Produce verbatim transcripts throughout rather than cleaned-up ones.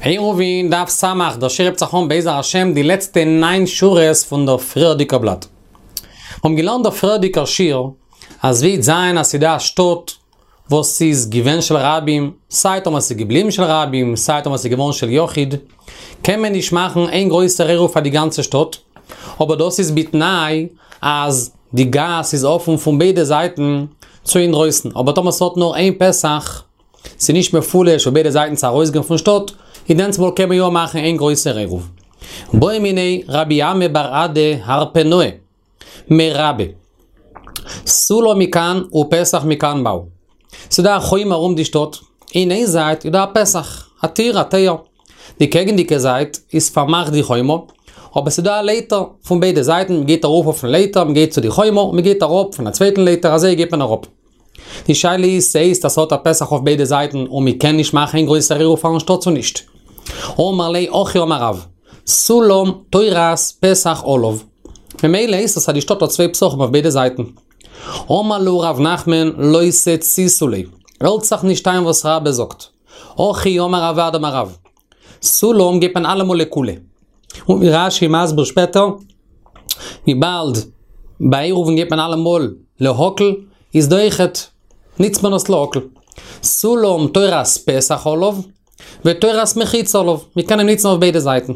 עירובין דף סמך, דער שיעור הייבט זיך אן בעזר השם די לעצטע ניין שורות פון דער פריערדיגער בלאט. מיר האבן געלערנט דער פריערדיגער שיעור, אז ווי זיין אז ס'דא א שטאט וואס איז געווען של רבים, סיי טאמער ס'איז געבליבן של רבים, סיי טאמער ס'איז געווארן של יחיד, קען מען נישט מאכן איין גרויסער עירוב פאר די גאנצע שטאט, אבער דאס איז בתנאי אז די גאס איז אפן פון ביידע זייטן צו אינדרויסן, אבער טאמער ס'האט נאר איין פתח, ס'איז נישט מפולש פון ביידע זייטן צו ארויסגיין פון שטאט, איז דענסטמאל קען מען יא מאכן איין גרויסער עירוב. בעא מיניה רבי אמי בר אדא הרפנאי מרבה, סולם מכאן ופתח מכאן מהו. ס'דא א חומה ארום די שטאט, אין איין זייט איז דא א פתח, א טיר, א טויער. די קעגנדיגע זייט איז פארמאכט די חומה, אבער ס'איז דא א לייטער פון ביידע זייטן, מ'גייט ארויף אויפן לייטער, מ'גייט צו די חומה, און מ'גייט אראפ פון א צווייטן לייטער, אזוי גייט מען אראפ. די שאלה איז, ס'הייסט אז ס'האט א פתח אויף ביידע זייטן און מ'קען נישט מאכן איין גרויסער עירוב פארן שטאט צו נישט? אמר ליה הכי אמר רב, סולם תורת פתח עליו. ממילא הייסט עס אז די שטאט האט צוויי פתחים אויף ביידע זייטן. אמר להו רב נחמן לא תציתו ליה, הערט זיך נישט איין וואס רבה זאגט. הכי אמר רב אדא אמר רב, סולם גייט מען אלעמאל לקולא. און ווי רש"י מסביר שפעטער, וויבאלד ביי עירובין גייט מען אלעמאל להקל, איז דא אויכעט ניצט מען עס להקל. סולם תורת פתח עליו, ותורת מחיצה עליו, מען קען אים ניצן אויף ביידע זייטן.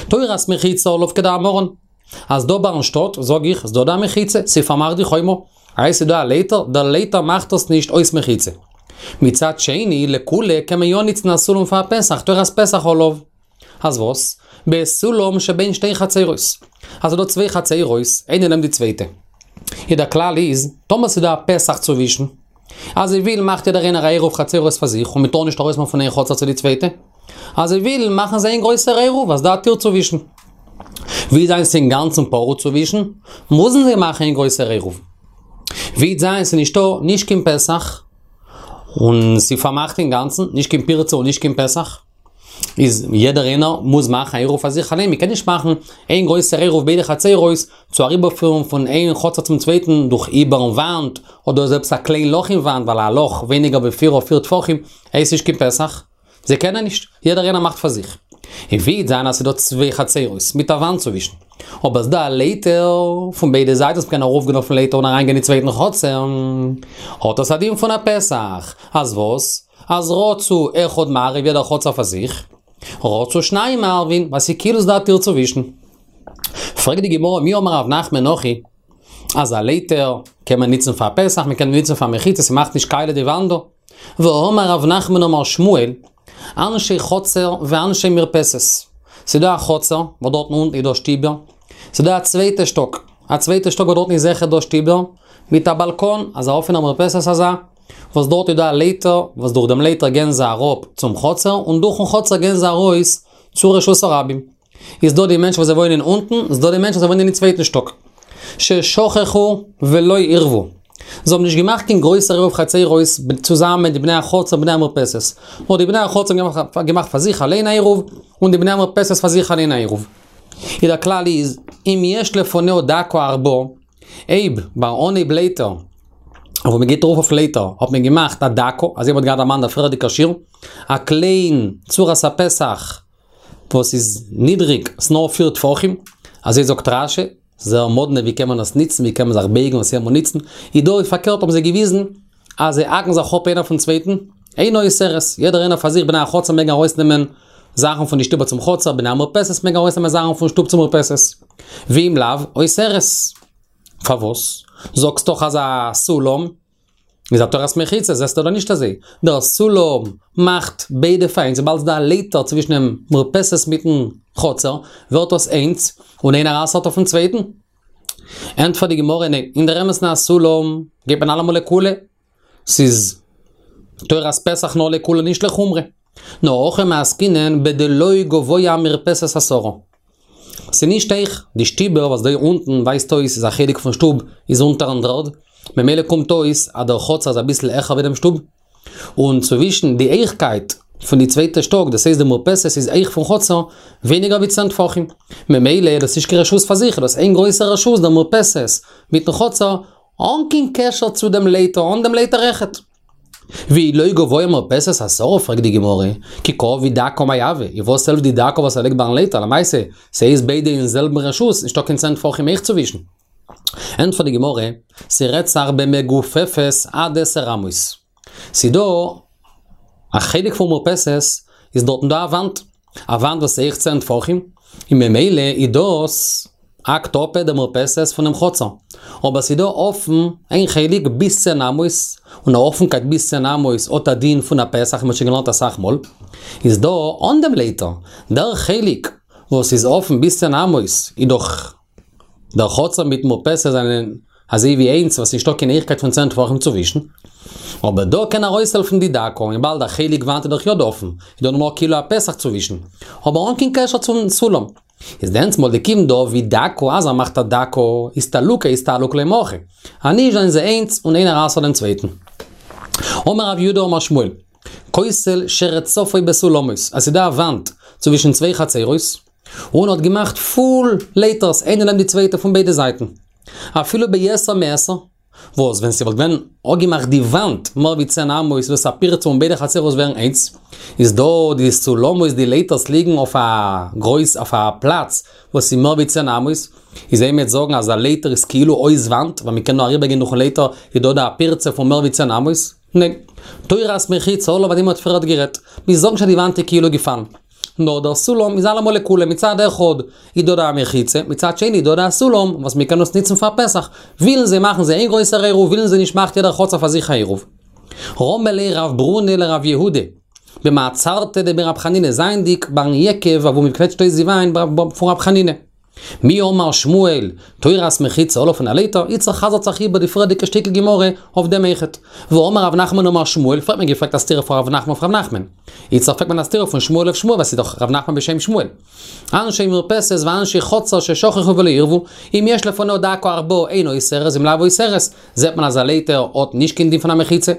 תורת מחיצה עליו כדאמרן, אז דא ביים שטאט, זאג איך, איז דא דא א מחיצה, ס'פארמאכט די חומה. איי ס'איז דא א לייטער, דער לייטער מאכט עס נישט אויס מחיצה. מצד שני, לקולא קען מען יא ניצן א סולם פאר א פתח, תורת פתח עליו. אז וואס? בסולם שבין שתי חצרות. אז ס'איז דא צוויי חצרות, איינע נעבן די צווייטע. איז דער כלל איז, טאמער ס'איז דא א פתח צווישן, אז זיי ווילן מאכט יעדער איינער א עירוב חצרות פאר זיך און מ'טאר נישט ארויסמופן פון איין חצר צו די צווייטע. אז זיי ווילן מאכן זיי איין גרויסער עירוב אז דא א טיר צווישן. ווי זיין ס'איז אינגאנצן פרוץ צווישן, מוזן זיי מאכן איין גרויסער עירוב. ווי זיין ס'איז נישטא נישט קיין פתח, און ס'איז פארמאכט אינגאנצן, נישט קיין פירצה און נישט קיין פתח. איז יעדער איינער מוז מאכן א עירוב פאר זיך אליין, מ'קען נישט מאכן איין גרויסער עירוב ביידע חצרות צו אריבערפירן פון איין חצר צום צווייטן דורך איבערן וואנט, אדער איז עפעס א קליין לאך אין וואנט, ווייל א לאך ווייניגער ווי פיר אויף פיר טפחים הייסט נישט קיין פתח, זיי קענען נישט, יעדער איינער מאכט פאר זיך. און ווי וועט זיין אז ס'איז דא צוויי חצרות מיט א וואנט צווישן, אבער ס'דא א לייטער פון ביידע זייטן וואס מ'קען ארויפגיין אויפן לייטער און אריינגיין אין צווייטן חצר, האט עס א דין פון א פתח, אז וואס? אז רצו אחד מערב יעדער חצר פאר זיך, רצו שניים מערבין, ווייל ס'איז כאילו ס'דא א טיר צווישן. פרעגט די גמרא מי אמר רב נחמן הכי, אז א לייטער קען מען ניצן פאר פתח, מ'קען ניצן פאר מחיצה, ס'מאכט נישט קאליע די וואנט דא. והאמר רב נחמן אמר שמואל, אנשי חצר ואנשי מרפסת. ס'דא א חצר, וואס דארטן אונטן איז דא שטיבער. ס'דא א צווייטע שטאק, א צווייטע שטאק וואס דארטן איז זיכער דא שטיבער, מיט א באלקאן, אזא אפענער מרפסת אזא, וואס דארט איז דא א לייטער, וואס דורך דעם לייטער גייען זיי אראפ צום חצר, און דורכן חצר גייען זיי ארויס צו רשות הרבים. איז דא די מענטשן וואס זיי וואוינען אונטן, איז דא די מענטשן וואס זיי וואוינען אין צווייטן שטאק. ששכחו ולא עירבו. זיי האבן נישט געמאכט קיין גרויסער עירוב חצרות צוזאמען די בני החצר און בני המרפסת. נאר די בני החצר האבן געמאכט פאר זיך אליין א עירוב, און די בני המרפסת פאר זיך אליין א עירוב. איז דער כלל איז, אם יש לפניה דקה ארבעה, אויב ביי אנהייב לייטער, וואו מען גייט ארויף אויף לייטער, האט מען געמאכט א דקה, אזוי ווי מ'האט געהאט דערמאנט דער פריערדיגער שיעור, א קליין צורת הפתח וואס איז נידריג, ס'איז נאר פיר טפחים, אזוי זאגט רש"י, זייער מאדנע ווי קען מען עס ניצן, ווי קען מען זיך בייגן און עס ניצן, איז דא פארקערט האבן זיי געוויזן אז זיי האקן זיך אפ איינער פון צווייטן, אינה אוסרת, יעדער איינער פאר זיך בני החצר מעגן ארויסנעמען זאכן פון די שטוב צום חצר, בני המרפסת מעגן ארויסנעמען זאכן פון שטוב צום מרפסת. ואם לאו, אוסרת. פארוואס? זאגסט דאך אז א סולם איז א תורת מחיצה, זעסטו דאך נישט אזוי. דער סולם מאכט ביידע פאר איינס, וויבאלד ס'איז דא א לייטער צווישן דעם מרפסת מיטן חצר, ווערט דאס איינס, און איינער אסר'ט אויפן צווייטן. ענטפערט די גמרא, ניין, אין דער אמת'ן א סולם גייט מען אלעמאל לקולא, ס'איז תורת פתח נאר לקולא נישט לחומרא. נאר הכא מעסקינן בדלא גבוה מרפסת עשרה. ס'איז נישט הויך, די שטיבער וואס דא אונטן ווייזט אויס איז א חלק פון שטוב איז אונטערן דר'ערד, ממילא קומט אויס אז דער חצר איז אביסל העכער ווי דעם שטוב, און צווישן די הייכקייט פון די צווייטע שטאק, דאס הייסט די מרפסת איז הויך פון חצר, ווייניגער ווי צען טפחים. ממילא איז דאס נישט קיין רשות פאר זיך, איז דאס איין גרויסע רשות דער מרפסת מיטן חצר, אן קיין קשר צו דעם לייטער, אן דעם לייטער אויכעט. ואי לא גבוה מרפסת עשרה, פרעגט די גמרא, כי קא עביד דקה מאי הוי, און וואס העלפט די דקה וואס ער לייגט ביים לייטער, למעשה, ס'איז ביידע אין זעלבן רשות, נישטא קיין צען טפחים אויך צווישן. ענטפערט די גמרא, ס'רעדט זיך במגופפת עד עשר אמות. ס'דא א חלק פון מרפסת, איז דארטן דא א וואנט, א וואנט וואס איז הויך צען טפחים, און ממילא איז דאס האקט אפ די מרפסת פונעם חצר. אבער ס'איז דא אפן איין חלק ביז צען אמות, און א אפנקייט ביז צען אמות האט א דין פון א פתח, ווי מ'האט שוין געלערנט אסאך מאל. איז דא אן דעם לייטער, דער חלק וואס איז אפן ביז צען אמות איז דאך דער חצר מיט מרפסת זענען אזוי ווי איינס וואס נישטא קיין הויכקייט פון צען טפחים צווישן. אבער דא קען ארויסהעלפן די דקה, וויבאלד א חלק וואנט איז דאך יא דא אפן, איז דא נאר כאילו א פתח צווישן, אבער אן קיין קשר צום סולם. איז דענסמאל דכיון דעביד דקה אז ער מאכט א דקה, איסתלוקי איסתלק ליה מהכא. אז נישט זענען זיי איינס און איינער אסר'ט דעם צווייטן. אמר רב יהודה אמר שמואל, כותל שרצפו בסולמות, אז ס'איז דא א וואנט צווישן צוויי חצרות, און האט געמאכט פול לייטערס איינע נעבן די צווייטע פון ביידע זייטן. אפילו ביתר מעשר, וואס ווען ס'וואלט געווען אפגעמאכט די וואנט מער ווי צען אמות איז דאס א פירצה און ביידע חצרות ווערן איינס, איז דא די סולמות די לייטערס ליגן אויף א גרויס אויף א פלאץ וואס איז מער ווי צען אמות, איז אויב מ'וועט זאגן אז א לייטער איז כאילו אויס וואנט ווייל מ'קען נאר אריבער גיין דורכן לייטער איז דא דא א פירצה פון מער ווי צען אמות? ניין. תורת מחיצה עליו אויף דעם האט פריערט גערעדט. מיר זאגן נישט אז די וואנט איז כאילו געפאלן. נאר דער סולם איז אלעמאל לקולא, מצד אחד איז דא דא א מחיצה, מצד שני איז דא דא א סולם וואס מען קען עס ניצן פאר פתח, ווילן זיי מאכן זיי איין גרויסער עירוב, ווילן זיי נישט מאכט יעדער חצר פאר זיך א עירוב. רמי ליה רב ברונא לרב יהודה, במעצרתא דבי רב חנינא זייענדיג ביים יקב אוואו מען קוועטשט אויס די וויין פון רב חנינא. מי אמר שמואל, תורת מחיצה עליו פון א לייטער, איצטער חזר'ט זיך איבער די פריערדיגע שטיקל גמרא אויף דעם אויכעט. והאמר רב נחמן אמר שמואל, פריער האט מען געפרעגט א סתירה פון רב נחמן אויף רב נחמן. איצטער פרעגט מען א סתירה פון שמואל אויף שמואל ווייל ס'איז דאך רב נחמן בשם שמואל. אנשי מרפסת ואנשי חצר ששכחו ולא עירבו, אם יש לפניה דקה ארבעה אינה אוסרת ואם לאו אוסרת, זעט מען אז א לייטער האט נישט קיין דין פון א מחיצה.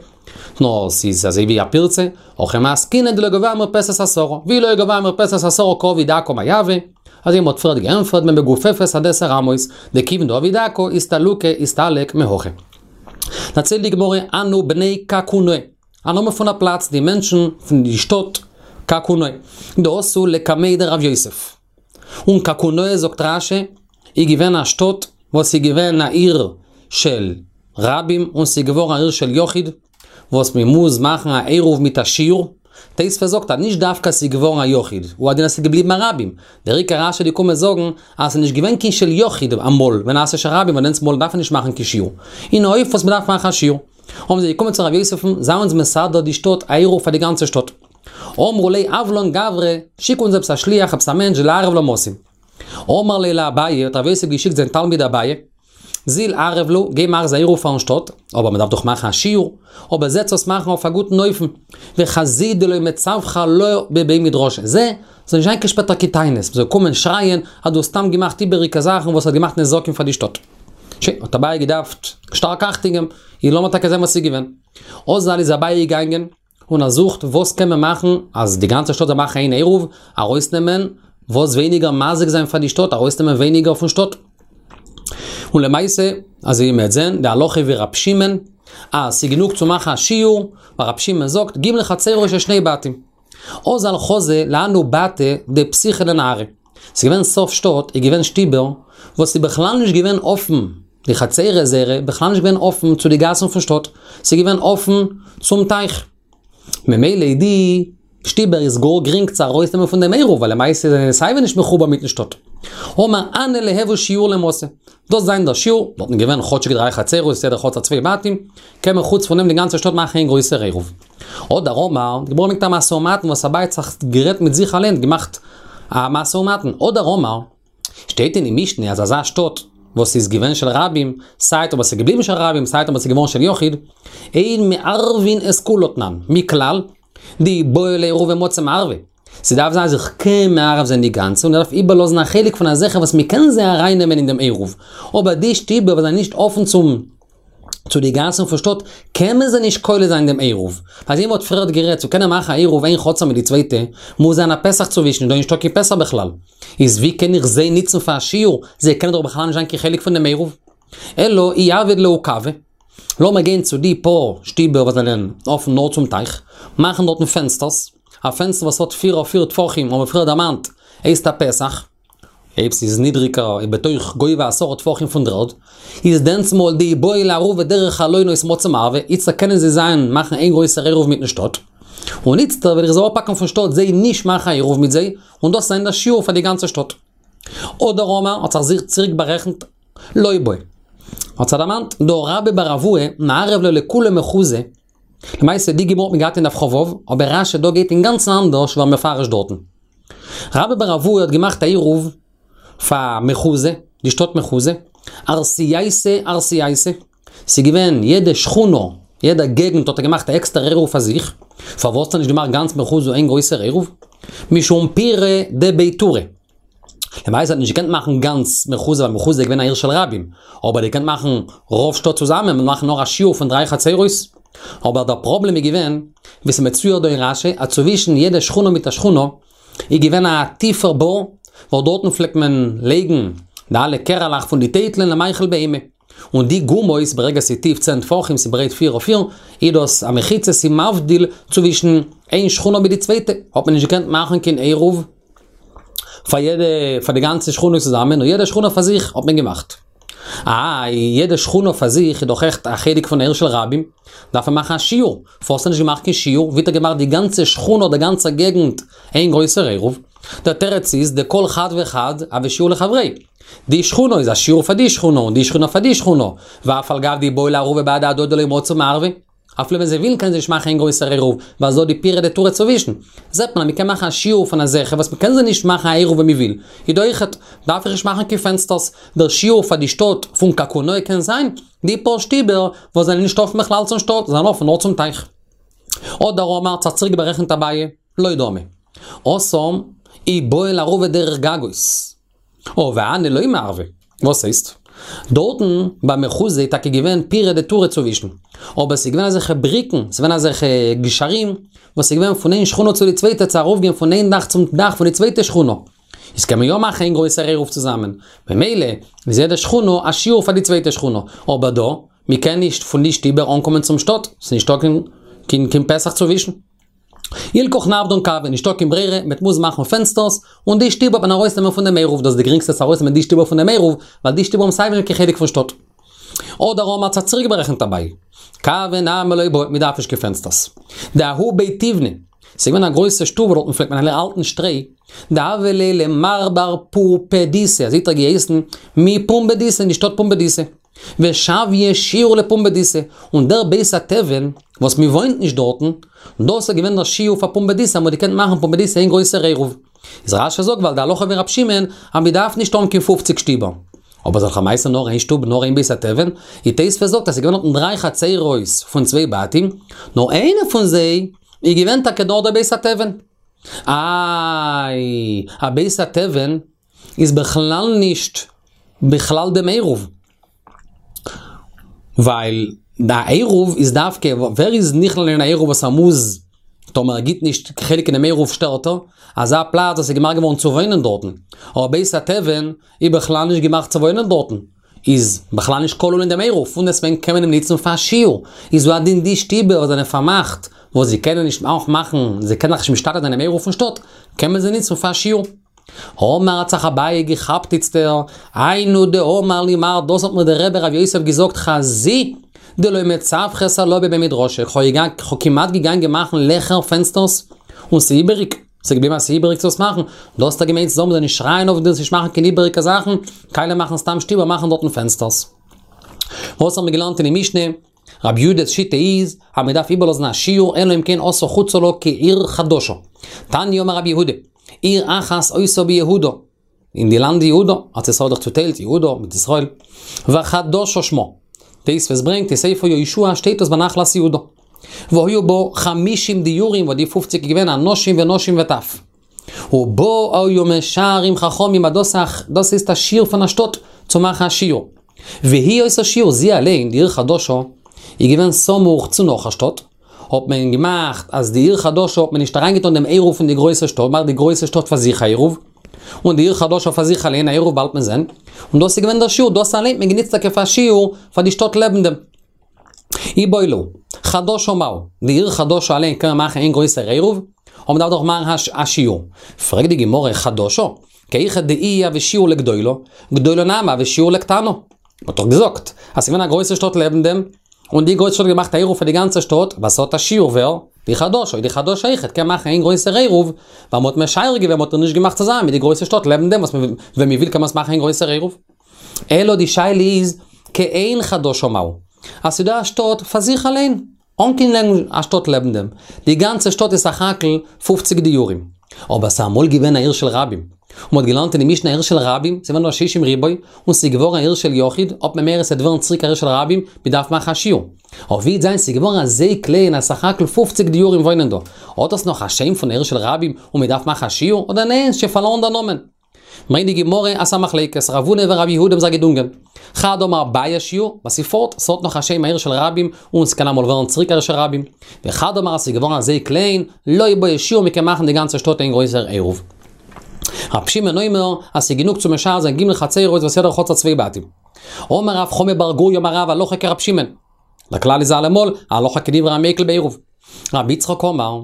נאר ס'איז אזוי ווי א פירצה, הכי מסקינן דלא גבוה מרפסת עשרה, ואי לא גבוה מרפסת עשרה קא עביד דקה מאי הוי, אזוי מ'האט פריערט געענטפערט במגופפת עד עשר אמות, דכיון דעביד דקה איסתלוקי איסתלק מהכא. דערציילט די גמרא הנהו בני קקונאי, א נאמען פון א פלאץ, די מענטשן פון די שטאט קקונאי, דאתו לקמיה דרב יוסף. און קקונאי זאגט רש"י, איז געווען א שטאט וואס איז געווען א עיר של רבים און ס'איז געווארן א עיר של יחיד, וואס מען מוז מאכן א עירוב מיט א שיעור, תוספות זאגט אז נישט דווקא ס'איז געווארן א יחיד, הוא הדין אז ס'איז געבליבן א רבים, דער עיקר רש"י איז געקומען זאגן אז ס'איז נישט געווען קיין של יחיד אמאל, ונעשה של רבים ווייל דענסטמאל דארף מען נישט מאכן קיין שיעור, און אויף וואס מ'דארף מאכן א שיעור. האבן זיי געקומען צו רב יוסף'ן, זיי אונז מסדר די שטאט א עירוב פאר די גאנצע שטאט. אמרו ליה הב לן גברא, שיק אונז עפעס א שליח, עפעס א מענטש, דליערב למתין. אמר ליה לאביי, האט רב יוסף געשיקט זיין תלמיד אביי, זיל ערב להו, גיי מאך זיי עירוב פארן שטאט, אבער מען דארף דאך מאכן א שיעור, אבער זע צו עס מאכן אויף א גוטן אופן, וחזי דלא מצווחי עלה בבי מדרשא, זע, ס'זאל נישט זיין קיין שפעטער קיין טענות, מ'זאל קומען שרייען אז דו האסט סתם געמאכט איבעריגע זאכן וואס האט געמאכט נזקים פאר די שטאט. שוין, האט אביי געדארפט שטארק אכטונג געבן, און לאמיר טאקע זען וואס איז געווען. אזל איז אביי געגאנגען, און ער זוכט וואס קען מען מאכן אז די גאנצע שטאט זאל מאכן איין עירוב, ארויסנעמען וואס ווייניגער מזיק זיין פאר די שטאט, ארויסנעמען ווייניגער פון שטאט. און למעשה, אזוי ווי מ'וועט זען, די הלכה ווי רב שמעון, אז ס'איז גענוג צו מאכן א שיעור, ווייל רב שמעון זאגט, ג' חצרות של שני בתים. אזל חזא להנהו בתי דפתיחי לנהרא. ס'איז געווען סוף שטאט, איז געווען שטיבער, וואס איז בכלל נישט געווען אפן, די חצרות זייערע, בכלל נישט געווען אפן צו די גאסן פון שטאט, ס'איז געווען אפן צום טייך. ממילא איז די שטיבער איז גאר גרינג צו ארויסנעמען פון דעם עירוב, ווייל למעשה זענען זיי סייווי נישט מחובר מיטן שטאט. אמר הני ליהוו שיעור למתא. דאס זיין דער שיעור, דארטן געווען כאטשיג דריי חצרות, יעדער חצר צוויי בתים, קען מען חוץ פון דעם די גאנצע שטאט מאכן איין גרויסער עירוב. הדר אמר, די גמרא ברענגט א משא ומתן וואס אביי האט זיך גערעדט מיט זיך אליין, געמאכט א משא ומתן, הדר אמר, שטייט אין די משנה אז אזא שטאט וואס איז געווען של רבים, סיי טאמער ס'איז געבליבן של רבים, סיי טאמער ס'איז געווארן של יחיד, אין מערבין את כולה תנן, מכלל, דאי בעי לעירובי מצי מערבי. ס'דארף זיין אז איך קען מערב זיין די גאנצע און איך דארף איבערלאזן א חלק פון אזעלכע וואס מ'קען זיי ארייננעמען אין דעם עירוב, אבער די שטיבער וואס זענען נישט אפן צום צו די גאסן פון שטאט קען מען זיי נישט כולל זיין אין דעם עירוב. אזוי ווי מ'האט פריערט גערעדט צו קענען מאכן א עירוב איין חצר מיט די צווייטע מוז זיין א פתח צווישן איז דא נישטא קיין פתח בכלל. איז ווי קען איך זיי ניצן פאר א שיעור, זיי קענען דאך בכלל נישט זיין קיין חלק פון דעם עירוב. אלא אי עביד להו קבא. לאמיר גיין צו די פאר שטיבער וואס זענען אפן נאר צום טייך, מאכן דארטן פענסטערס, א פענסטער וואס האט פיר אויף פיר טפחים, האבן מיר פריער דערמאנט, הייסט א פתח, אויב ס'איז נידריגער איז בתוך גובה עשרה טפחים פון דר'ערד, איז דענסמאל דאי בעו לאערובי דרך חלונות מצו מערבי, איצטער קענען זיי זיין מאכן איין גרויסער עירוב מיטן שטאט, און איצטער וועל איך זיי אפהאקן פון שטאט זיי נישט מאכן א עירוב מיט זיי, און דאס זיין דער שיעור פאר די גאנצע שטאט. אדער אמר האט זיך זיך צוריק בארעכנט לא בעי. האט זיך דערמאנט דהא רבה בר אבוה מערב ליה לכולה מחוזא, למעשה די גמרא האט מען געהאט אין דף כ"ו, אבער רש"י דא גייט אינגאנצן אנדערש ווי מפרש דארטן. רבה בר אבוה האט געמאכט א עירוב פאר מחוזא, די שטאט מחוזא, ארסייתא ארסייתא, ס'איז געווען יעדע שכונה, יעדע געגנט האט ער געמאכט א עקסטערע עירוב פאר זיך, פארוואס האט ער נישט געמאכט גאנץ מחוזא איין גרויסער עירוב? משום פירי דבי טורי. למעשה האט נישט געקענט מאכן גאנץ מחוזא ווייל מחוזא איז געווען א עיר של רבים, אבער ער געקענט מאכן רוב שטאט צוזאמען און מאכן נאר א שיעור פון דריי חצרות. אבער דער פראבלעם איז געווען, ווי ס'מצויר דא אין רש"י, אז צווישן יעדע שכונה מיט א שכונה איז געווען א טיפער בור, וואס דארטן פלעגט מען לייגן די אלע קערעלעך פון די טייטלען למאכל בהמה. און די גומות, ברגע ס'איז טיף צען טפחים, ס'איז ברייט פיר אויף פיר, איז דאס א מחיצה, ס'איז מבדיל צווישן איין שכונה מיט די צווייטע, האט מען נישט געקענט מאכן קיין עירוב פאר יעדע, פאר די גאנצע שכונה צוזאמען, נאר יעדע שכונה פאר זיך האט מען געמאכט. איי, יעדע שכונה פאר זיך איז דאך עכט א חלק פון עיר של רבים, דארף מען מאכן א שיעור, פארוואס האט מען נישט געמאכט קיין שיעור, ווי האט ער געמאכט די גאנצע שכונה, די גאנצע געגנט, איין גרויסער עירוב? דער תירוץ איז, דכל חד וחד הוי שיעור לחבריה. די שכונה איז א שיעור פאר די שכונה, און די שכונה פאר די שכונה, ואף על גב דאי בעו לאערובי בהדי הדדי לא מצו מערבי. אפילו ווען זיי ווילן קענען זיי נישט מאכן איין גרויסער עירוב, ווייל ס'דא די פירי דטורי צווישן. זעט מען אז מ'קען מאכן א שיעור פון אזעלכע וואס מ'קען זיי נישט מאכן א עירוב ווען מ'וויל. איז דא אויכעט, דארף איך נישט מאכן קיין פענסטערס. דער שיעור פאר די שטאט פון קקונאי קען זיין די פאר שטיבער וואס זענען נישט אפן בכלל צום שטאט, זענען אפן נאר צום טייך. אדער אמר האט זיך צוריק בארעכנט אביי, לא דמי. התם, אי בעו לאערובי דרך גגות. או והני לא מערבי. וואס הייסט? דארטן ביי מחוזא איז טאקע געווען פירי דטורי צווישן, אבער ס'איז געווען אזעלכע בריקן, ס'איז געווען אזעלכע גשרים, וואס איז געווען פון איין שכונה צו די צווייטע צו ארויפגיין פון איין דאך צום דאך פון די צווייטע שכונה. איז קען מען יא מאכן איין גרויסער עירוב צוזאמען. ממילא איז יעדע שכונה א שיעור פאר די צווייטע שכונה. אבער דא, מ'קען נישט פון די שטיבער אנקומען צום שטאט, ס'איז נישטא קיין קיין פתח צווישן. הלכך נעבדן כוי, נישטא קיין ברירה, מ'וועט מוזן מאכן פענסטערס, און די שטיבער וועט מען ארויסנעמען פון דעם עירוב, דאס איז די גרינגסטע צו ארויסנעמען די שטיבער פון דעם עירוב, ווייל די שטיבער האבן סייווי נישט קיין חלק פון שטאט. אדער אמר האט זיך צוריק בארעכנט אביי. כוי נמי לא בעי, מ'דארף נישט קיין פענסטערס. דההוא בי תיבני, ס'איז געווען א גרויסע שטוב וואו דארטן פלעגט מען האלטן שטרוי, דהוה ליה למר בר פומבדיתא, אזוי האט ער געהייסן, מפומבדיתא, אין די שטאט פומבדיתא. ושויה שיעור לפומבדיתא, און דער בית התבן, וואס מען וואוינט נישט דארטן, דאס איז געווען דער שיעור פאר פומבדיתא, אז מען האט געקענט מאכן פומבדיתא איין גרויסער עירוב. איז רש"י זאגט ווייל די הלכה ווי רב שמעון, אז מען דארף נישט האבן קיין פופציג שטיבער. אבער ס'איז דאך למעשה נאר איין שטוב, נאר איין בית התבן, איז תוספות זאגט אז ס'איז געווען דארטן דריי חצרות פון צוויי בתים, נאר איינע פון זיי איז געווען טאקע דארט דער בית התבן. איי, א בית התבן איז בכלל נישט בכלל דעם עירוב. ווייל די עירוב איז דווקא, ווער איז נכלל אין א עירוב וואס ער מוז, טאמער ער גיבט נישט חלק אינעם עירוב שטערט ער, אזא פלאץ וואס איז געמאכט געווארן צו וואוינען דארטן. אבער בית התבן איז בכלל נישט געמאכט צו וואוינען דארטן. איז בכלל נישט כולל אין דעם עירוב, פונדעסטוועגן קען מען אים ניצן פאר שיעור. איז הוא הדין די שטיבער וואס זענען פארמאכט, וואס זיי קענען נישט אויך מאכן, זיי קענען זיך נישט משתתף זיין אינעם עירוב פון שטאט, קען מען זיי ניצן פאר שיעור. אמר האט זיך אביי געכאפט איצטער, היינו דאמר לי מר דאס האט מיר דער רבי רב יוסף געזאגט חזי דלא מצווכת עלה בבי מדרשא, כ'האב כמעט געגאנגען מאכן לעכער פענסטערס און ס'איבעריג, ס'געבליבן אז ס'איבעריג צו עס מאכן, דאס האט ער געמיינט צו זאגן מ'זאל נישט שרייען אויף דיר נישט מאכן קיין איבעריגע זאכן, קאליע מאכן סתם שטיבער מאכן דארטן פענסטערס. וואס האבן מיר געלערנט אין די משנה? רבי יהודה'ס שיטה איז אז מ'דארף איבערלאזן א שיעור אלא אם כן עשה חוצה לה כעיר חדשה. תניא אמר רבי יהודה, עיר אחת היתה ביהודה, אין די לאנד יהודה, ארץ ישראל האט דאך צוטיילט יהודה מיט ישראל, וחדשה שמה. תוספות ברענגט אין ספר יהושע שטייט דאס בנחלת יהודה. והיו בה חמישים דיורים וואס די פופציג איז געווען אנשים ונשים וטף. ובה היו משערים חכמים אז דאס דאס הייסט א שיעור פון א שטאט צו מאכן א שיעור. והיא היתה שיעור זי אליין די עיר חדשה איז געווען סמוך צו נאך א שטאט, האט מען געמאכט אז די עיר חדשה האט מען נישט אריינגעטון דעם עירוב פון די גרויסע שטאט, מאכט די גרויסע שטאט פאר זיך א עירוב, און די עיר חדשה פאר זיך אליין א עירוב באלד מען זען, און דאס איז געווען דער שיעור, דאס אליין האט מען גענוצט טאקע פאר שיעור פאר די שטאט לעבן דעם. איבעיא להו, חדשה מהו, די עיר חדשה אליין קען מען מאכן איין גרויסער עירוב, און מ'דארף דאך מאכן א שיעור. פרעגט די גמרא חדשה, כי היכי דאיהי הוה שיעור לגדולה, גדולה נמי הוה שיעור לקטנה. מ'האט דאך געזאגט אז ס'געווען א גרויסע שטאט לעבן דעם, און די גרויסע שטאט האט געמאכט א עירוב פאר די גאנצע שטאט, ווייל ס'האט א שיעור ווער? די חדשה, איז די חדשה אויכעט קען מאכן איין גרויסער עירוב, ווייל מ'האט משער געווען מ'האט איר נישט געמאכט צוזאמען מיט די גרויסע שטאט לעבן דעם וואס ווען מ'וויל קען מען עס מאכן איין גרויסער עירוב. אלא די שאלה איז כעין חדשה מהו, אז ס'דא א שטאט פאר זיך אליין, אן קיין א שטאט לעבן דעם, די גאנצע שטאט איז סך הכל פֿופֿציק דיורים. אבער ס'איז אמאל געווען א עיר של רבים, און מ'האט געלערנט אין די משנה עיר של רבים, ס'איז געווען דא שישים ריבוא, און ס'איז געווארן א עיר של יחיד, האט מען מורא ס'וועט ווערן צוריק א עיר של רבים, מ'דארף מאכן א שיעור. אבער ווי וועט זיין ס'איז געווארן אזוי קליין אז סך הכל פֿופֿציק דיורים וואוינען דא, האט עס נאך א שם פון עיר של רבים און מ'דארף מאכן א שיעור, אדער ניין, ס'שוין פארלוירן דער נאמען? ברענגט די גמרא אז ס'א מחלוקת, רב הונא ורב יהודה האבן זיך געדונגען. חד אמר בעי שיעור, וואס איז פארט, ס'האט נאך א שם עיר של רבים, און ס'קען אמאל ווערן צוריק עיר של רבים. וחד אמר אז ס'איז געווארן אזוי קליין, לא בעי שיעור מ'קען מאכן די גאנצע שטאט איין גרויסער עירוב. רב שמעון אומר אז ס'איז גענוג צו משער זיין ג' חצרות וואס יעדער חצר צוויי בתים. אמר רב חמא בר גוריא אמר רב הלכה כרב שמעון. דער כלל איז אלעמאל, הלכה כדברי המיקל בעירוב. רבי יצחק אמר.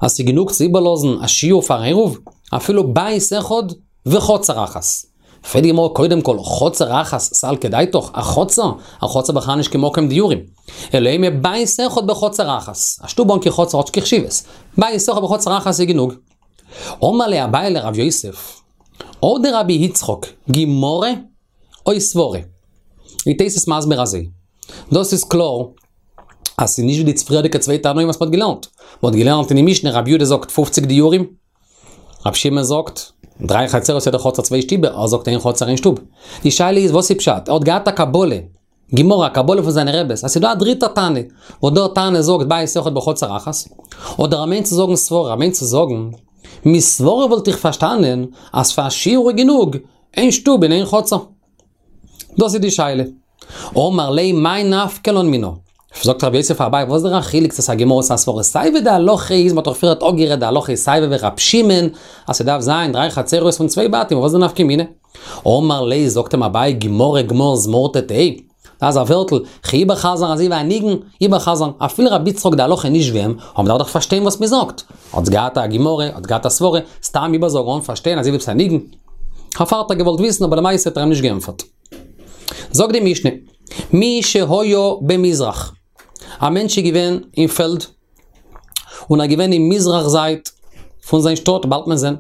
אז ס'איז גענוג צו איבערלאזן א שיעור פארן עירוב, אפילו בית אחד וחצר אחת. פרעגט די גמרא קודם כל, חצר אחת סלקא דעתך, א חצר? א חצר בכלל נישט קיין מקום דיורים. אלא אימא בית אחד בחצר אחת, א שטוב אן קיין חצר האט נישט קיין חשיבות, בית אחד בחצר אחת איז גענוג. אמר ליה אביי לרב יוסף, הא דרבי יצחק, גמרא או סברה? איז תוס' מסביר אזוי, דאס איז קלאר אז ס'איז נישט ווי די פריערדיגע צוויי תנאים וואס מ'האט געלערנט. מ'האט געלערנט אין די משנה רבי יהודה זאגט פֿופֿציק דיורים, רבי שמעון זאגט דריי חצרות יעדע חצר צוויי שטיבער, ער זאגט איין חצר איין שטוב. די שאלה איז וואס איז פשט? ער האט געהאט א קבלה, גמרא, א קבלה פון זיינע רעבעס, אז ס'איז דא א דריטע תנא, וואס דער תנא זאגט בית אחד בחצר אחת, אדער ער מיינט צו זאגן סברה, ער מיינט צו זאגן, מסברה וואלט איך פארשטאנען אז פאר א שיעור איז גענוג איין שטוב אין איין חצר. דאס איז די שאלה. אמר ליה מאי נפקא לן מינה? זאגט רב יוסף פאר אביי וואס איז דער א חילוק צו ס'איז א גמרא צו א סברא סיי ווי די הלכה איז מ'האט דאך פריערט אפגערעדט די הלכה איז סיי ווי רב שמעון אז ס'דארף זיין דריי חצרות פון צוויי בתים וואס איז די נפקא מינה? אמר ליה זאגט אים אביי גמרא גמור זמורתא תהא דאס איז א ווערטל כ'וועל איבערחזר'ן אזוי ווי א ניגון איבערחזר'ן אפילו רבי יצחק די הלכה נישט ווי אים אבער מ'דארף דאך פארשטיין וואס מ'זאגט האטס געהאט א גמרא האטס געהאט א סברא סתם איבערזאגן אן פארשטיין אזוי ווי עפעס א ניגון פארט האט ער געוואלט וויסן אבער למעשה האט ער אים נישט געענטפערט. זאגט די משנה, מי שהיה במזרח, א מענטש איז געווען אין פעלד, און ער איז געווען אין מזרח זייט פון זיין שטאט, באלד מען זען,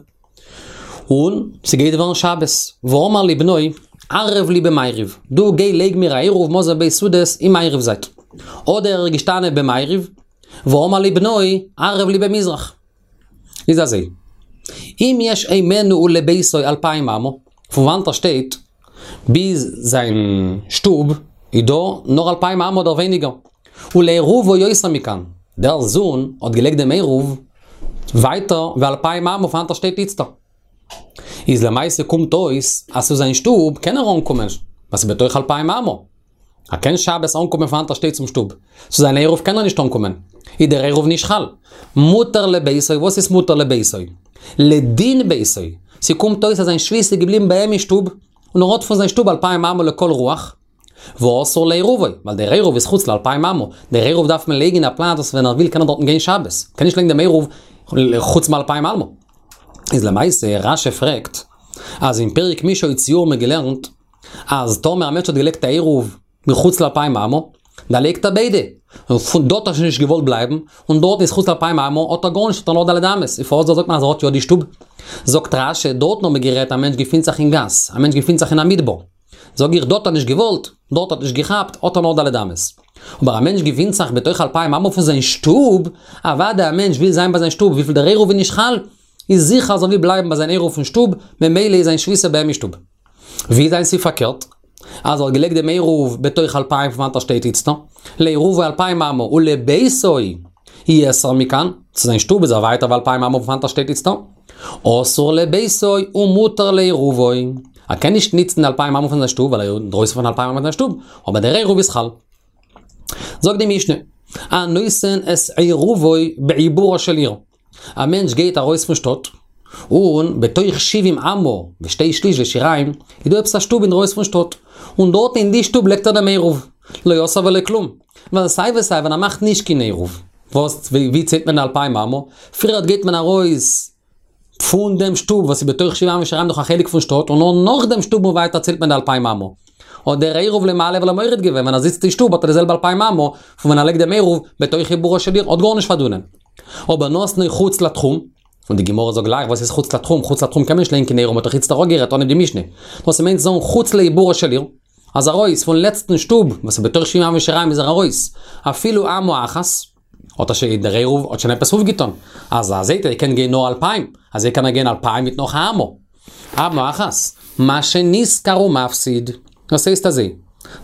און ס'גייט ווערן שבת, ואמר לבנו, ערב לי במערב, דו גיי לייג מיר א עירוב מזון ב' סעודות אין מערב זייט. אדער ער איז געשטאנען במערב, ואמר לבנו, ערב לי במזרח. איז אזוי, אם יש הימנו ולביתו אלפיים אמה, פון וואנעט ער שטייט ביז זיין שטוב איז דא נאר אלפיים אמה אדער ווייניגער, ולעירובו יותר מכאן, דער זון האט געלייגט דעם עירוב ווייטער ווי אלפיים אמה פון וואנעט ער שטייט איצטער. איז למעשה קומט אויס אז צו זיין שטוב קען ער אנקומען, ווייל ס'איז בתוך אלפיים אמה. ער קען שבת אנקומען פון וואנעט ער שטייט צום שטוב. צו זיין עירוב קען ער נישט אנקומען. איז דער עירוב נישט חל. מותר לביתו, וואס איז מותר לביתו? לדין ביתו. ס'קומט אויס אז זיין שביתה איז געבליבן ביי אים אין שטוב, און ער האט פון זיין שטוב אלפיים אמה לכל רוח. ואסור לעירובו, ווייל דער עירוב איז חוץ לאלפיים אמה. דער עירוב דארף מען לייגן אין א פלאץ וואס ווען ער וויל קען ער דארטן גיין שבת. מ'קען נישט לייגן דעם עירוב חוץ מאלפיים אמה. איז למעשה, רש"י פרעגט, אז אין פרק מי שהוציאוהו האט מען געלערנט, אז טאמער א מענטש האט געלייגט א עירוב מחוץ לאלפיים אמה, דערלייגט ער ביידע, און פון דארט האט ער שוין נישט געוואלט בלייבן, און דארט איז חוץ לאלפיים אמה, האט ער גארנישט, האט ער נאר ד' אמות, און פארוואס דא זאגט מען אז ער האט יא די שטוב? זאגט רש"י, דארטן האט מען גערעדט א מענטש געפינט זיך אין גאס, א מענטש געפינט זיך אין א מדבר, זאג איך דארט האט ער נישט געוואלט, דארט האט נישט געכאפט, האט ער נאר ד' אמות. אבער א מענטש געפינט זיך בתוך אלפיים אמה פון זיין שטוב, אוודאי א מענטש וויל זיין ביי זיין שטוב, וויפיל דער עירוב איז נישט חל, איז זיכער אז ער וויל בלייבן ביי זיין עירוב פון שטוב, ממילא איז זיין שביתה ביי אים אין שטוב. ווי איז זיין ס'איז פארקערט? אז ער האט געלייגט דעם עירוב בתוך אלפיים פון וואנעט ער שטייט איצטער, לעירובו אלפיים אמה ולביתו יתר מכאן, צו זיין שטוב איז ער ווייטער ווי אלפיים אמה פון וואנעט ער שטייט איצטער, אסור לביתו ומותר לעירובו. ער קען נישט ניצן די אלפיים אמה פון זיין שטוב ווייל ער איז אינדרויסן פון אלפיים אמה פון זיין שטוב, אבער דער עירוב איז חל. זאגט די משנה, הנותן את עירובו בעיבורה של עיר. א מענטש גייט ארויס פון שטאט, און בתוך שבעים אמה ושתי שליש ושיריים איז דא עפעס א שטוב אינדרויסן פון שטאט, און דארט אין די שטוב לייגט ער דעם עירוב, לא עשה ולא כלום. ווייל סיי ווי סיי ווען ער מאכט נישט קיין עירוב, וואס ווי ציילט מען אלפיים אמה? פריערט גייט מען ארויס פון דעם שטוב וואס איז בתוך שבעה אמה שיריים נאך א חלק פון שטאט, און נאר נאך דעם שטוב און ווייטער ציילט מען די אלפיים אמה. האט דער עירוב למעלה ולמוריד געווען, ווען ער זיצט אין שטוב האט ער די זעלבע אלפיים אמה פון ווען ער לייגט דעם עירוב בתוך עיבורה של עיר, האט גארנישט פארדונען. אבער נתנו חוץ לתחום, און די גמרא זאגט גלייך וואס איז חוץ לתחום, חוץ לתחום קען מען נישט לייגן קיין עירוב, מ'האט דאך איצטער אפגערעדט אנהייב די משנה. דאס מיינט זאגן חוץ לעיבורה של עיר, אז ארויס פון לעצטן שטוב וואס איז בתוך שבעים אמה ושיריים איז ער ארויס, אפילו אמה אחת, האט ער שוין דער עירוב האט שוין עפעס אויפגעטון, אז ער זעהט ער קען גיין נאר אלפיים, אזוי קען ער גיין אלפיים מיט נאך א אמה. אמה אחת, מה שנשכר הוא מפסיד. דאס הייסט אזוי,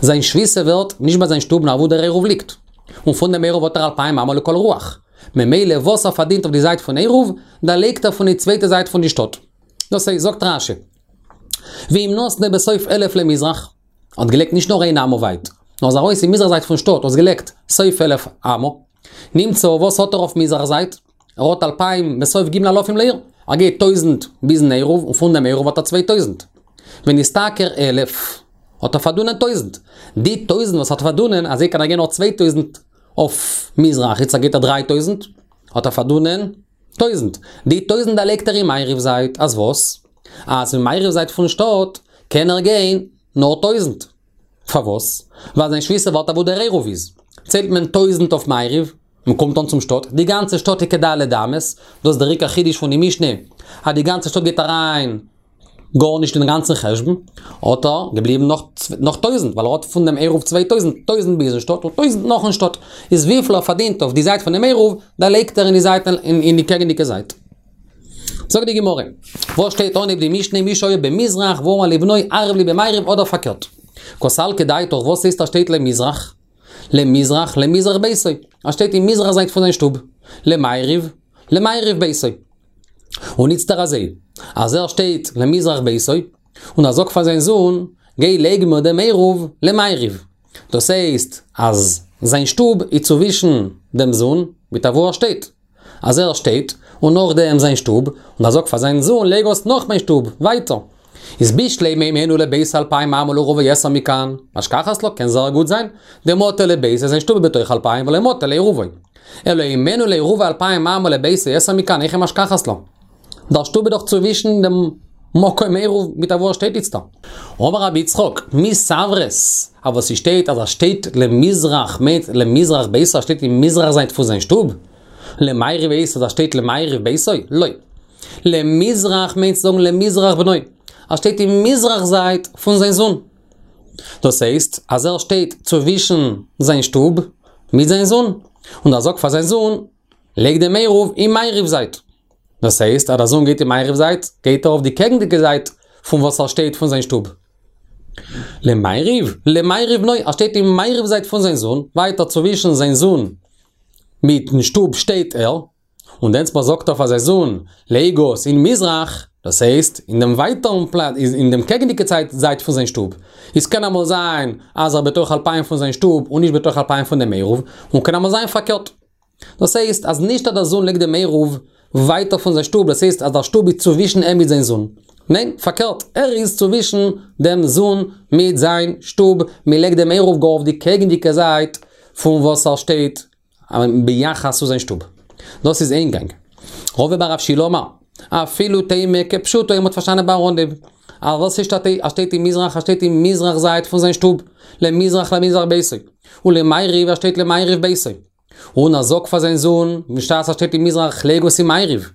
זיין שביתה ווערט נישט ביי זיין שטוב נאר וואו דער עירוב ליגט. און פון דעם עירוב האט ער אלפיים אמה לכל רוח. ממילא וואס ער פארדינט אויף די זייט פון עירוב, דערלייגט ער פון די צווייטע זייט פון די שטאט. דאס הייסט, זאגט רש"י, ואם נתנו בסוף אלף למזרח, האט געלייגט נישט נאר איין אמה ווייט, נאר איז ארויס אין מזרח זייט פון שטאט, האט געלייגט סוף אלף אמה, נמצא וואס האט ער אויף מזרח זייט? ער האט אלפיים בסוף ג' אלפים לעיר, ער גייט טויזנט ביזן עירוב, און פון דעם עירוב האט ער צוויי טויזנט. ונשתכר אלף, האט ער פארדונען טויזנט. די טויזנט וואס האט ער פארדונען, אזוי קען ער גיין נאך צוויי טויזנט אויף מזרח, איצט גייט ער דריי טויזנט, האט ער פארדונען טויזנט. די טויזנט דערלייגט ער אין מערב זייט, אז וואס? אז אין מערב זייט פון שטאט קען ער גיין נאר טויזנט. פארוואס? ווייל זיין שביתה ווארט אוואו דער עירוב איז. ציילט מען טויזנט אויף מערב, מען קומט אן צום שטאט, די גאנצע שטאט איז כד' אמות, דאס איז דער עיקר חידוש פון די משנה, אז די גאנצע שטאט גייט אריין גארנישט אין גאנצן חשבון, האט ער געבליבן נאך נאך טויזנט, ווייל ער האט פון דעם עירוב צוויי טויזנט, טויזנט ביזן שטאט און טויזנט נאכן שטאט, איז וויפיל ער פארדינט אויף די זייט פון דעם עירוב, דערלייגט ער אין די זייט אין די קעגנדיגע זייט. זאגט די גמרא, וואס שטייט אנהייב די משנה מי שהיה במזרח ואמר לבנו ערב לי במערב אדער פארקערט? קא סלקא דעתך וואס הייסט ער שטייט למזרח? למזרח, למזרח ביתו, ער שטייט אין מזרח זייט פון זיין שטוב, למערב, למערב ביתו. און איצטער אזוי, אז ער שטייט למזרח ביתו, און ער זאגט פאר זיין זון, גיי לייג מיר דעם עירוב למערב. דאס הייסט, אז זיין שטוב איז צווישן דעם זון מיט אוואו ער שטייט. אז ער שטייט, און נאכדעם זיין שטוב, און ער זאגט פאר זיין זון לייג עס נאך מיין שטוב, ווייטער. איז בשלמא הימנו לביתו אלפיים אמה ולעירובו יתר מכאן, משכחת לה, קען זייער גוט זיין, דמטא לביתו זיין שטוב איז בתוך אלפיים ולא מטא לעירובו. אלא הימנו לעירובו אלפיים אמה ולביתו יתר מכאן, היכי משכחת לה. דער שטוב איז דאך צווישן דעם מקום עירוב מיט אוואו ער שטייט איצטער. אמר רבי יצחק, מי סברת, אז וואס ס'שטייט אז ער שטייט למזרח מיינט למזרח ביתו ער שטייט אין מזרח זייט פון זיין שטוב? למערב הייסט אז ער שטייט למערב ביתו? לא. למזרח מיינט צו זאגן למזרח בנו. ער שטייט אין מזרח זייט פון זיין זון. דאס הייסט אז ער שטייט צווישן זיין שטוב מיט זיין זון. און ער זאגט פאר זיין זון, לייג דעם עירוב אין מערב זייט. דאס הייסט אז דער זון גייט אין מערב זייט, גייט ער אויף די קעגנדיגע זייט פון וואס ער שטייט פון זיין שטוב. למערב, למערב בנו, ער שטייט אין מערב זייט פון זיין זון, ווייטער צווישן זיין זון מיטן שטוב שטייט ער, און דענסטמאל זאגט ער פאר זיין זון, לייג עס אין מזרח, דאס הייסט, אין דעם ווייטערן פלאץ, אין דעם קעגנדיגע זייט פון זיין שטוב. עס קען אמאל זיין אז ער בתוך אלפיים פון זיין שטוב און נישט בתוך אלפיים פון דעם עירוב, און קען אמאל זיין פארקערט. דאס הייסט אז נישט אז דער זון לייגט דעם עירוב ווייטער פון זיין שטוב, דאס הייסט אז דער שטוב איז צווישן אים מיט זיין זון. ניין, פארקערט, ער איז צווישן דעם זון מיט זיין שטוב, מען לייגט דעם עירוב גאר אויף די קעגנדיגע זייט פון וואס ער שטייט ביחס צו זיין שטוב. דאס איז איין גאנג. רבא בר רב שילא אמר, אפילו תימא כפשוטו מ'האט פארשטאנען ביי אנהייב. אז וואס איז ער שטייט אין מזרח, ער שטייט אין מזרח זייט פון זיין שטוב, למזרח למזרח ביתו, ולמערב ער שטייט למערב ביתו. און ער זאגט פאר זיין זון, בשעת ער שטייט אין מזרח, לייג עס אין מערב.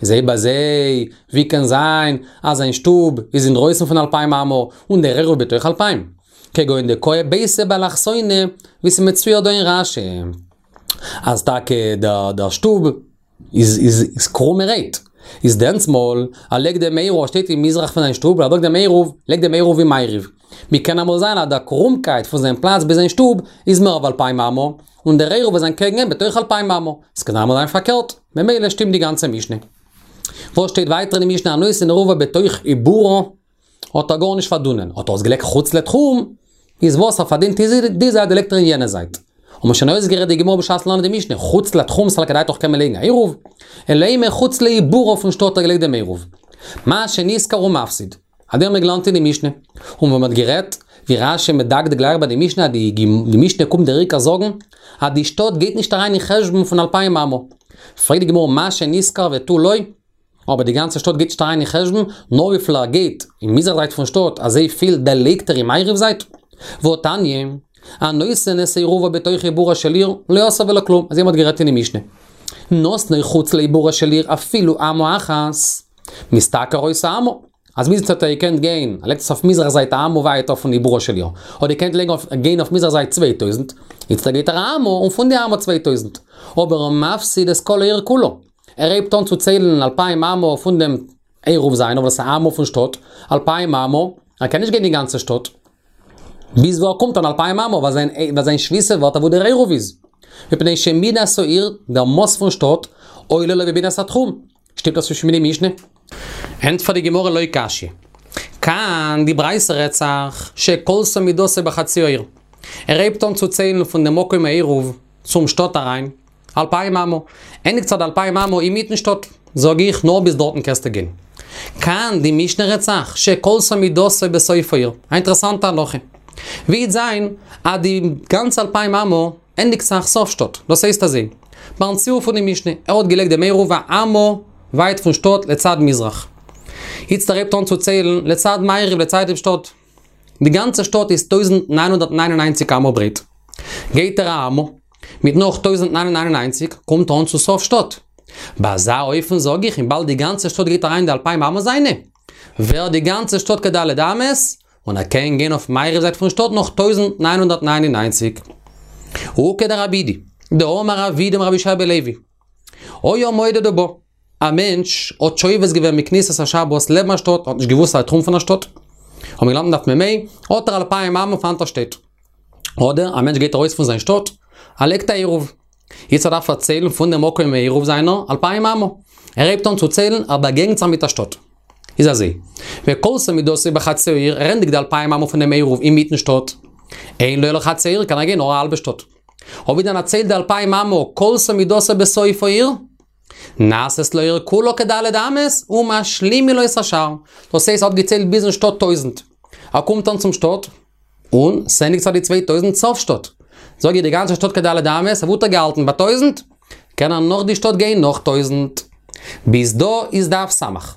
איז אויב אזוי, ווי קען זיין אז זיין שטוב איז אינדרויסן פון אלפיים אמה, און דער עירוב בתוך אלפיים? כגון דקאי ביתיה באלכסונא, ווי ס'איז מצויר דא אין רש"י. אז טאקע דער שטוב איז איז קרומערהייט. איז דענסמאל, ער לייגט דעם עירוב, ער שטייט אין מזרח פון זיין שטוב, ער זאגט דעם עירוב, לייג דעם עירוב אין מערב. מיר קען אמאל זיין אז דער קרומקייט פון זיין פלאץ ביז זיין שטוב איז מער ווי אלפיים אמה, און דער עירוב איז אנטקעגן אים בתוך אלפיים אמה. עס קען אמאל זיין פארקערט, ממילא שטימט די גאנצע משנה. וואס שטייט ווייטער אין די משנה הנותן עירובו בתוך עיבורה, האט ער גארנישט פארדונען, האט ער עס געלייגט חוץ לתחום, איז וואס ער פארדינט איז די זייט לייגט ער אין יענע זייט. האט מען שוין אויסגערעדט די גמרא בשעת לערנען די משנה, חוץ לתחום סלקא דעתך קען מען לייגן א עירוב, אלא אימא חוץ לעיבורה פון שטאט האט ער געלייגט דעם עירוב. מה שנשכר הוא מפסיד. אזוי האבן מיר געלערנט אין די משנה. און ווען מען האט גערעדט, ווי רש"י מדקדק גלייך ביי די משנה, די משנה קומט דער עיקר זאגן, אז די שטאט גייט נישט אריין אין חשבון פון אלפיים אמה. פרעגט די גמרא מה שנשכר ותו לא, אבער די גאנצע שטאט גייט נישט אריין אין חשבון, נאר וויפיל ער גייט אין מזרח זייט פון שטאט, אזוי פיל דערלייגט ער אין מערב זייט. והתניא, הנותן את עירובו בתוך עיבורה של עיר, לא עשה ולא כלום, אזוי מ'האט גערעדט אין די משנה. נתנו חוץ לעיבורה של עיר אפילו אמה אחת, משתכר אותה אמה. אז ביז האט ער געקענט גיין, ער לייגט עס אויף מזרח זייט א אמה ווייטער פון עיבורה של עיר. האט געקענט לייגן אויף, גיין אויף מזרח זייט צוויי טויזנט, איצטער גייט ער א אמה און פון די אמה צוויי טויזנט. אבער מפסיד את כל העיר כולה. ער הייבט אן צו ציילן אלפיים אמה פון דעם עירוב זיינער, וואס איז א אמה פון שטאט, אלפיים אמה, ער קען נישט גיין די גאנצע שטאט. ביז וואו ער קומט אן אלפיים אמה, ווייל זיין, ווייל זיין שביתה ווערט אוואו דער עירוב איז. מפני שמידת העיר, דער מאס פון שטאט, עולה לו במידת התחום. שטימט דאס נישט מיט די משנה? ענטפערט די גמרא לא קשיא. כאן די ברייתא רעדט זיך שכלתה מידתו בחצי העיר. ער הייבט אן צו ציילן פון דעם מקום העירוב צום שטאט אריין, אלפיים אמה. ענדיגט זיך די אלפיים אמה אינמיטן שטאט. זאג איך, נאר ביז דארטן קענסטו גיין. כאן די משנה רעדט זיך שכלתה מידתו בסוף העיר. א אינטערעסאנטע הלכה. ווי וועט זיין אז די גאנצע אלפיים אמה ענדיגט זיך סוף שטאט. דאס הייסט אזוי. ביים ציור פון די משנה, ער האט געלייגט דעם עירוב א אמה ווייט פון שטאט לצד מזרח. איצט ער הייבט אן צו ציילן לצד מערב, לצד דעם שטאט. די גאנצע שטאט איז טויזנט נײַן הונדערט נײַן און נײַנציק אמה ברייט. גייט ער א אמה, מיט נאך טויזנט נײַן הונדערט נײַן און נײַנציק קומט אן צו סוף שטאט. ביי אזא אופן זאג איך, וויבאלד די גאנצע שטאט גייט אריין אין די אלפיים אמה זיינע, ווערט די גאנצע שטאט כד' אמות, און ער קען גיין אויף מערב זייט פון שטאט נאך טויזנט נײַן הונדערט נײַן און נײַנציק. וכדרב אידי, דאמר רב אידי אמר רבי יהושע בן לוי. היה מודד ובא. א מענטש האט שובת געווען מכניסת השבת לעבן א שטאט, האט נישט געוואוסט אז ער תחום פון א שטאט. האט מען געלערנט דף מ"ה, האט ער אלפיים אמה פון וואנעט ער שטייט. אדער א מענטש גייט ארויס פון זיין שטאט, ער לייגט א עירוב. יעצט ער דארף פארציילן פון דעם מקום העירוב זיינער אלפיים אמה. ער הייבט אן צו ציילן, ער באגעגנט זיך מיט א שטאט. איז אזוי, וכלתה מידתו בחצי העיר, ער ענדיגט די אלפיים אמה פון דעם עירוב אינמיטן שטאט. אין לו אלא חצי העיר, קען ער גיין נאר א האלבע שטאט. אויב ווי דען ער ציילט די אלפיים אמה, כלתה מידתו בסוף העיר, נעשית לו העיר כולה כד' אמות, ומשלימין לו את השאר. דאס הייסט ער האט געציילט ביזן שטאט טויזנט. ער קומט אן צום שטאט, און ס'ענדיגט זיך די צוויי טויזנט סוף שטאט. זאג איך די גאנצע שטאט כד' אמות, וואו האט ער געהאלטן? ביי טויזנט? קען ער נאך די שטאט גיין נאך טויזנט. ביז דא איז דף סמך.